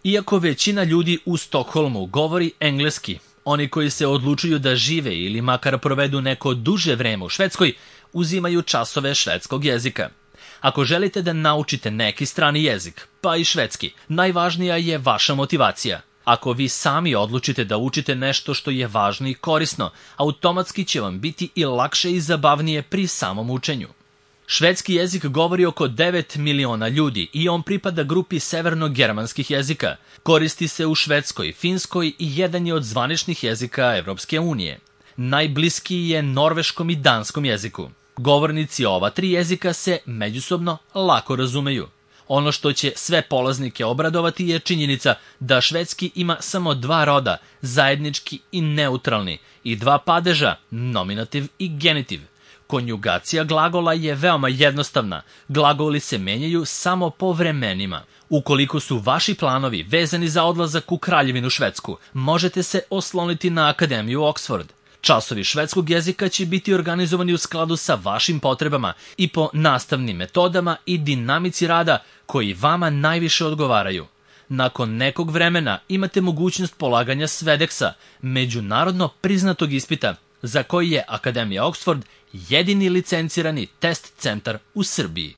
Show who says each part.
Speaker 1: Iako većina ljudi u Stokholmu govori engleski, oni koji se odlučuju da žive ili makar provedu neko duže vreme u Švedskoj, uzimaju časove švedskog jezika. Ako želite da naučite neki strani jezik, pa i švedski, najvažnija je vaša motivacija. Ako vi sami odlučite da učite nešto što je važno i korisno, automatski će vam biti i lakše i zabavnije pri samom učenju. Švedski jezik govori oko 9 miliona ljudi i on pripada grupi severno-germanskih jezika. Koristi se u Švedskoj, Finskoj i jedan je od zvaničnih jezika Evropske unije. Najbliskiji je norveškom i danskom jeziku. Govornici ova 3 jezika se međusobno lako razumeju. Ono što će sve polaznike obradovati je činjenica da švedski ima samo 2 roda, zajednički i neutralni, i 2 padeža, nominativ i genitiv. Konjugacija glagola je veoma jednostavna, glagoli se menjaju samo po vremenima. Ukoliko su vaši planovi vezani za odlazak u Kraljevinu Švedsku, možete se osloniti na Akademiju Oxford. Časovi švedskog jezika će biti organizovani u skladu sa vašim potrebama i po nastavnim metodama i dinamici rada koji vama najviše odgovaraju. Nakon nekog vremena imate mogućnost polaganja Svedeksa, međunarodno priznatog ispita, za koji je Akademija Oxford jedini licencirani test centar u Srbiji.